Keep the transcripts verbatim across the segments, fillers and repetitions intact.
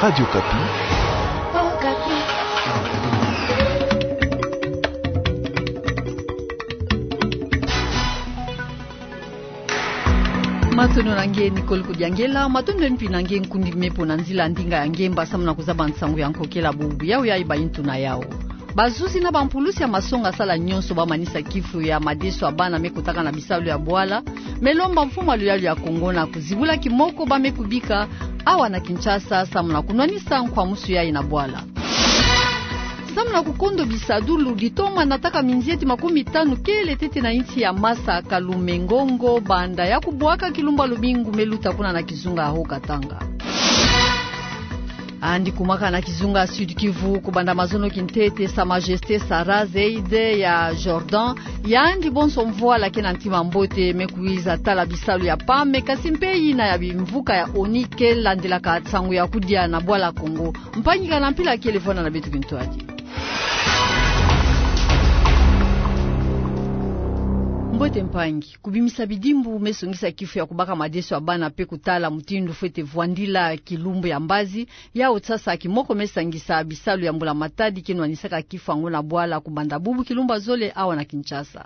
Radio Okapi. Matondo na nge Nicole Kudiangela, matondo mpi na nge nkundi me mpo na nzila ndinga ya nge mba samu na kuzaba nsangu ya nkokela bubu yawu ya iba intu na yawu. Bazuzi na bampulusi ya masonga sala nyonso bamanisa kifu ya madeso ya bana me kotaka na bisalu ya bwala, me lomba mfumu ya luyalu ya Kongo na kuzibula kimoko ba me kubika awa na Kinshasa samu na kunwanisa nkwamusu yayi na bwala. Samu na kukondo bisadulu, ditoma nataka minzieti makumi tanu kele tete na insi ya Masa Kalume Ngongo banda ya kubwaka kilumbu ya lumingu me luta kuna na kizunga ya Haut-Katanga. Yandi kumaka na kizunga Sud-Kivu kubanda mazono kintete, Sa Majesté Sarah Zeid ya Jordan, yandi bonso mvwala ke na ntima mbote me kwiza tala bisalu ya pame, kasi mpe yina ya bimvuka ya ONU ke landilaka nsangu ya kudia na bwala Kongo. Mpangi, kana mpila kele, vwanda na beto kintwadi. Mbote mpangi. Kubimisa bidimbu me songisa kifu ya kubaka madeso ya bana mpe kutala mutindu fwete vwandila kilumbu ya mbazi, yawu sasa kimoko me sangisa bisalu ya mbula-matadi ke nwanisaka kifu yango na bwala kubanda bubu kilumbu ya zole awa na Kinshasa.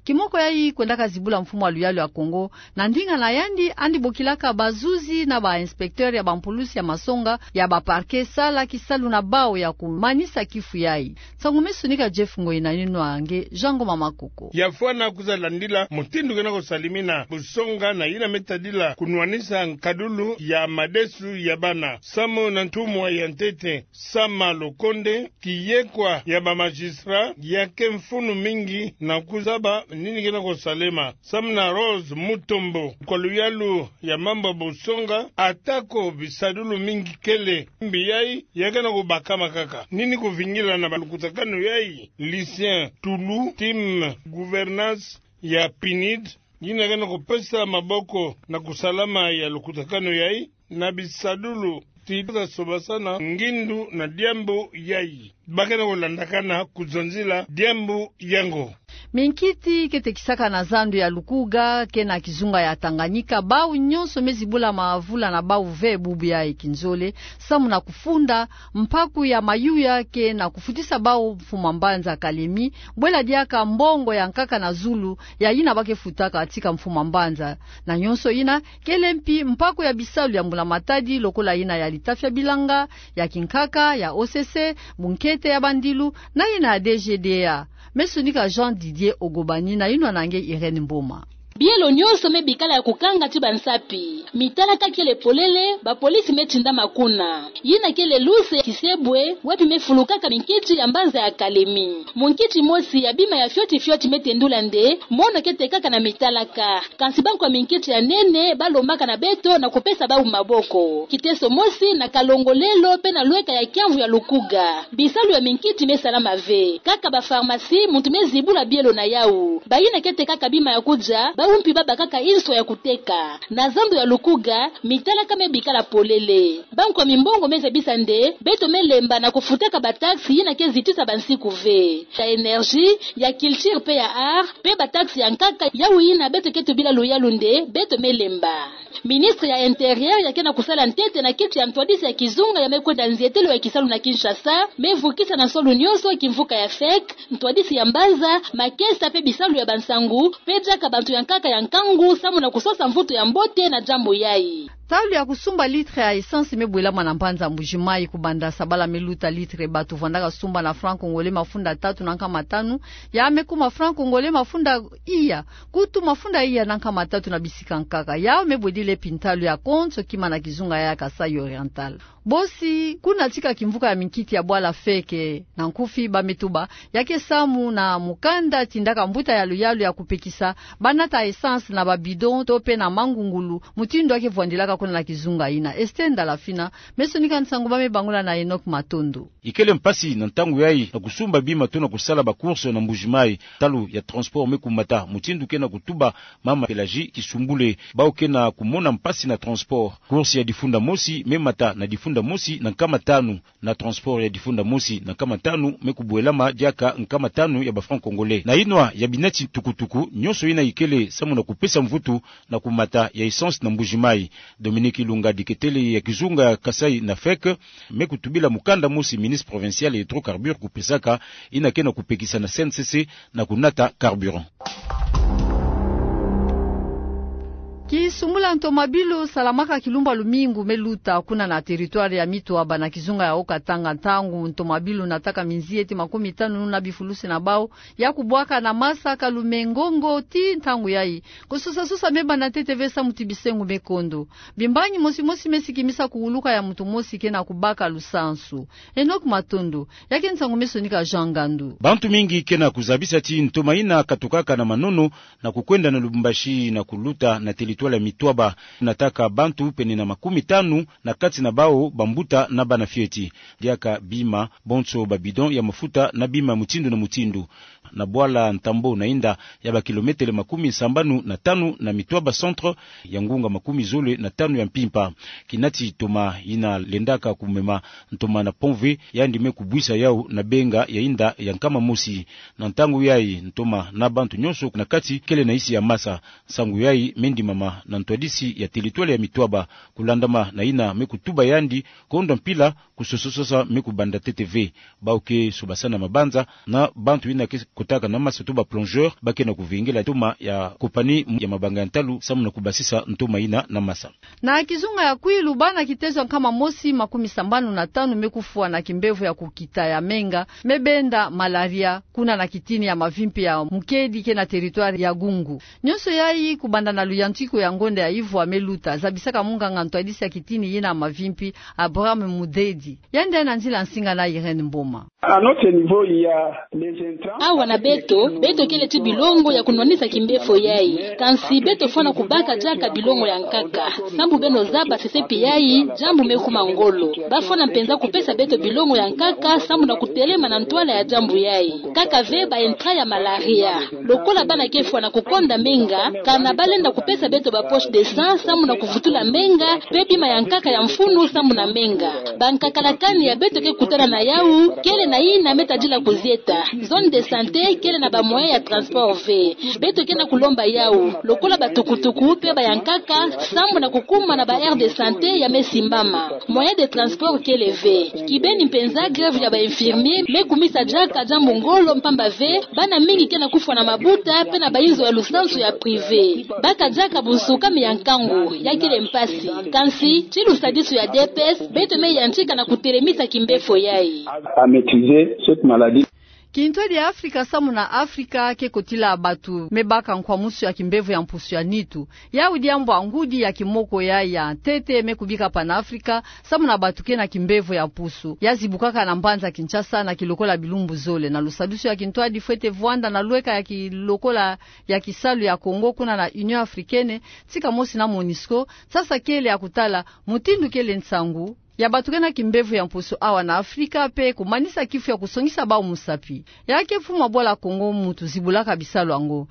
Kimoko yayi kwendaka zibula mfumu ya luyalu ya Kongo, na ndinga na yandi, yandi bokilaka bazuzi na ba inspecteur ya bampulusi ya masonga ya ba parquet sala kisalu na bawu ya kumanisa kifu yayi. Nsangu me sonika Jeff Ngoi na yinwa nge Jean Ngoma Makoko. Ya fwana kwiza landila mutindu ke na kusalimina busonga na yina me tadila kunwanisa nkadulu ya madesu ya bana. Samu na ntumwa ya ntete Sama Lukonde, kiyekwa ya ba magistrat, ya ke mfunu mingi na kuzaba nini ke na kusalema. Samu na Rose Mutombo, kwa luyalu ya mambu ya busonga, atako bisadulu mingi kele mbi yayi, ya ke na kubakama kaka. Nini kuvingila na balukutakanu yayi? Lucien Tulu, team gouvernance ya PNUD, yina ke na kupesa maboko na kusalama ya lukutakanu yayi, na bisadulu ti ta sobasana ngindu na diambu yayi. Ba ke na kulandakana kuzonzila diambu yango. Minkiti ke tekisaka na zandu ya Lukuga, ke na kizunga ya Tanganyika, bawu nyonso me zibula mavula na bawu ve bubu yayi kinzole, samu na kufunda mpaku ya mayuya ke na kufutisa bawu mfuma mbanza Kalemi, bwela diaka mbongo ya nkaka na zulu ya yina ba ke futaka tika mfuma mbanza. Na nyonso yina, kele mpi mpaku ya bisalu ya mbula-matadi lokola yina ya litafi ya bilanga, ya kinkaka, ya OCC, bunkete ya bandilu, na yina ya DGDA. Me sonika Jean Didier Ogobani na yinwa na nge Irène Mboma. Bielo nyonso me bikala ya kukanga ti bansapi. Mitalaka kele polele, bapolisi me tindama kuna. Yina kele luse ya Kisebwe, wapi me fulukaka minkiti ya mbanza ya Kalemi. Munkiti mosi ya bima ya fioti fioti me tendula nde mono ke tekaka na mitalaka. Kansi bankwa minkiti ya nene ba lombaka na beto na kupesa bawu maboko. Kiteso mosi na Kalongo lelo mpe na lweka ya kiamvu ya Lukuga, bisalu ya minkiti me salama ve. Kaka ba pharmacie muntu me zibula bielo na yawu. Bayina ke tekaka bima ya kudia, bawu mpi ba bakaka inswa ya kuteka. Na zandu ya Lukuga, mitalaka me bikala polele. Bankwa mimbongo me zabisa nde beto me lemba na kufutaka bataxe yina ke zitisa bansiku ve. Ya énergie, ya culture mpe ya art, mpe bataxe ya nkaka, yawu yina beto ke tubila luyalu nde beto me lemba. Ministre ya Intérieur ya ke na kusala ntete na kiti ya ntwadisi ya kizunga ya me kwenda nzietelo ya kisalu na Kinshasa, me vukisa na nsolu nyonso kimvuka ya FEC, ntwadisi ya mbanza, makesa mpe bisalu ya bansangu, mpe diaka bantu ya nkaka ya nkangu, samu na kusosa mvutu ya mbote na diambu yayi. Ntalu ya kusumba litre ya essence me bwelama na mbanza Mbuji-Mayi. Kubanda sabala me luta, litre bato vwandaka sumba na franc congolais mafunda tatu na nkama tanu, ya me kuma franc congolais mafunda iya, kutu mafunda iya na nkama tatu na bisika nkaka. Yawu me bwedile mpi ntalu ya konso kima na kizunga ya Kasaï Oriental. Bosi, kuna tika kimvuka ya minkiti ya bwala FEC, na nkufi ba me tuba, ya ke samu na mukanda tindaka mbuta ya luyalu ya kupekisa ba nata essence na ba bidon to mpe na mangungulu, mutindu ya ke vwandilaka kuna na kizunga yina. Esther Ndalafina me sonika nsangu ba me bangula na Enoch Matondo. Ikele mpasi na ntangu yayi na kusumba bima to na kusala ba course na Mbuji-Mayi, ntalu ya transport me kumata, mutindu ke na kutuba mama Pelagie Kisumbule. Bawu ke na kumona mpasi na transport. Course ya difunda mosi me mata na difunda mosi na nkama tanu, na transport ya difunda mosi na nkama tanu me kubwelama diaka nkama tanu ya ba franc congolais. Na yinwa ya binati tukutuku nyonso yina ikele samu na kupesa mvutu na kumata ya essence na Mbuji-Mayi. Dominique Ilunga, diketele ya kizunga ya Kasaï na feke, me kutubila mukanda mosi ministre provincial ya hydrocarbures kupesaka, yina ke na kupekisa na C N C C na kunata carburant. Kisumbula ntomabilu salamaka kilumbu lumingu me luta kuna na territoire ya Mitwaba na kizunga ya Haut-Katanga, ntangu ntomabilu nataka minzieti makumi tanu na bifulusi na bau ya kubwaka na masa, kalume, ngongo, ti ntangu yayi kusosa-sosa me banda ntete ve samu ti bisengo me kondo. Bimbangi mosi-mosi me sikimisa kuwuluka ya muntu mosi ke na kubaka lusansu. Enoch Matondo, ya ke nsangu me sonika Jean Ngandu. Bantu mingi ke na kuzabisa ti ntoma yina katukaka na manono na kukwenda na Lubumbashi na kuluta na territoire ya Mitwaba, nataka bantu pene na makumi tanu, na kati na bau bambuta na bana fioti. Diaka bima, bonso ba bidon ya mafuta na bima mutindu na mutindu. Na bwala ntambo na inda ya ba kilometele makumi sambanu na tanu na Mitwaba centre, ya ngunga makumi zole na tanu ya mpimpa. Kinati ntoma yina lendaka kumema ntoma na pont ve, yandi me kubwisa yau na benga ya inda ya nkama mosi. Na ntangu yayi, ntoma na bantu nyonso na kati kele na nsi ya masa. Nsangu yayi me ndimama na ntwadisi ya territoire ya Mitwaba, kulandama na yina me kutuba yandi, kondo mpila, kusosa-sosa me kubanda ntete ve. Bau ke sobasana mabanza na bantu yina ke kotaka na masa to ba plongeur, ba ke na kuvingila ntoma ya compagnie ya mabanga ya ntalu samu na kubasisa ntoma yina na masa. Na kizunga ya Kwilu, bana kitezo ya nkama mosi makumi sambanu na tanu me kufwa na kimbevo ya kukita ya menga, me benda malaria, kuna na kitini ya mavimpi ya Mukedi ke na territoire ya Gungu. Nyonso yayi kubanda na luyantiku ya ngonda ya ivwa me luta, zabisaka munganga ntwadisi ya kitini yina ya mavimpi, Abraham Mudedi. Yandi na nzila nsinga na Irène Mboma. À notre niveau, il y a les intrants. Awa na beto, beto kele ti bilongo ya kunwanisa kimbevo yayi. Kansi beto fwana kubaka diaka bilongo ya nkaka. Sambu beno zaba sesepi yayi, diambu me kuma ngolo. Ba fwana mpenza kupesa beto bilongo ya nkaka, sambu na kutelema na ntwala ya diambu yayi. Kaka ve ba intrants ya malaria. Lokola bana ke fwana kukonda menga, kana ba lenda kupesa beto ba poches de sang samu na kuvutula menga, pe bima ya nkaka ya mfunu samu na menga. Ba nkakalakani ya beto ke kutana na yau kele na yina me tadila kuzieta. Zone de santé kele na ba moyens ya transport ve. Beto ke na kulomba yau, lokola ba tukutuku pe ba ya nkaka, samu na kukuma na ba aires de santé ya me simbama. Moyens de transport kele ve. Kibeni mpenza, grève ya ba infirmiers me kumisa diaka diambu ngolo, mpamba ve bana mingi ke na kufwa na mabuta pe na ba inzo ya lusansu ya privé. Baka diaka bunsukami ya nkangu, ya kele mpasi. Kansi ti lusadisu ya D P S, beto me yantika na kutelemisa kimbevo yayi. À maîtriser cette maladie. Kintwadi ya Afrika samu na Afrika ke kotila bantu me baka nkwamusu ya kimbevo ya mpusu ya nitu. Yau diambu ngudi ya kimoko ya, ya ntete me kubika Panafrica samu na bantu ke na kimbevo ya mpusu, ya zibukaka na mbanza Kinshasa na kilokola bilumbu zole. Na lusadisu ya kintwadi, fwete vwanda na lweka ya kilokola ya kisalu ya Congo kuna na Union Africaine, tika mosi na MONUSCO, sasa kele ya kutala mutindu kele nsangu ya bantu ke na kimbevo ya mpusu awa na Afrika, pe kumanisa kifu ya kusongisa bau musapi. Ya ke mfumu wa bwala Congo muntu zibulaka bisalu yango.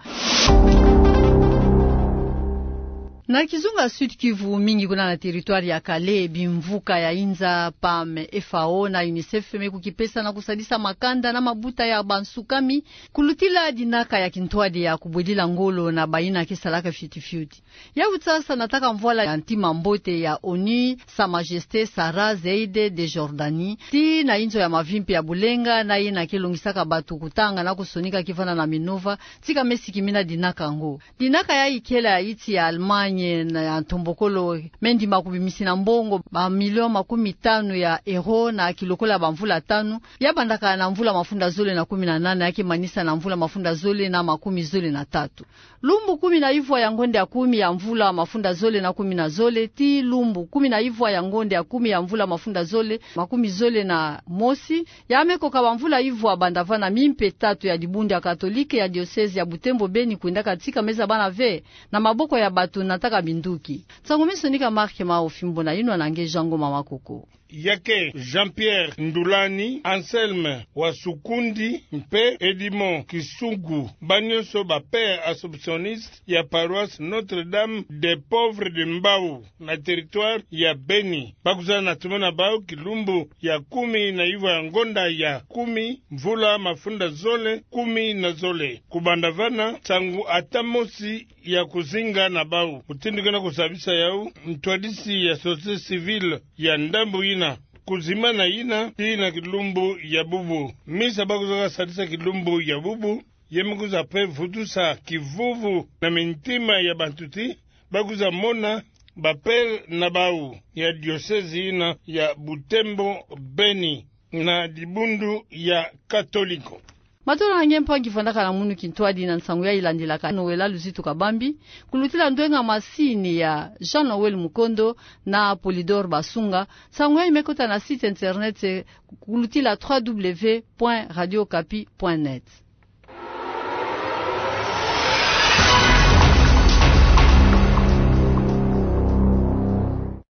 Na kizunga Sud-Kivu, mingi kuna na territoire ya Kale, bimvuka ya inza, pam, F A O na UNICEF me kukipesa na kusadisa makanda na mabuta ya bansukami, kulutila dinaka ya kintwadi ya kubwedila ngolo na bayina ke salaka fioti-fioti. Yau sasa nataka mvwala ya ntima mbote ya ONU, Sa Majesté Sarah Zeid de Jordanie, tii na inzo ya mavimpi ya bulenga, na yina ke longisaka bantu kutanga na kusonika kivana na minova, tika me sikimina dinaka yango. Dinaka yayi kele ya nsi ya Allemagne na ya ntombokolo, me ndima kubimisina mbongo ba millions makumi tanu ya euros na kilokola bamvula tanu, ya bandaka na mvula mafunda zole na kumi na nana, ya ke manisa na mvula mafunda zole na makumi zole na tatu. Lumbu kumi na ivwa ya ngonda ya kumi ya mvula mafunda zole na kumi na zole, tii lumbu kumi na ivwa ya ngonda ya kumi ya mvula mafunda zole makumi zole na mosi, ya me koka bamvula ivwa banda vana, mimpe tatu ya dibundu ya Katolike ya diocèse ya Butembo Beni kwendaka tika me zabana ve na maboko ya bantu nataka minduki. Nsangu me sonika Marc Mao Fimbo na yinwa na nge Jean Ngoma Makoko. Ya ke Jean-Pierre Ndulani, Anselme Wasukundi mpe Edmond Kisungu, ba nyonso ba pères assomptionnistes ya paroisse Notre-Dame des Pauvres de Mbau, na territoire ya Beni. Ba kuzana na toma na bau kilumbu ya kumi na ivwa ya ngonda ya kumi, mvula mafunda zole kumi na zole. Kubanda vana, nsangu ata mosi ya kuzinga na bau. Mutindu kena kusabisa yau, ntwadisi ya société civile ya ndambu ina, kuzimana ina, ina kilumbu ya bubu. Misa ba kwiza kasadisa kilumbu ya bubu, ye me kwiza pe vutusa kivuvu na mintima ya bantu ti ba kwiza mona ba père na bau ya diocèse ina ya Butembo Beni na dibundu ya Katoliko. Matondo na nge mpangi fandaka na munu kintwadi na nsangu yayi landilaka Noëlla Luzitu Kabambi, kulutila ndwenga masini ya Jean Noël Mukondo na Polydor Basunga. Nsangu yayi me kota na site internet, kulutila trois W point radio okapi point net.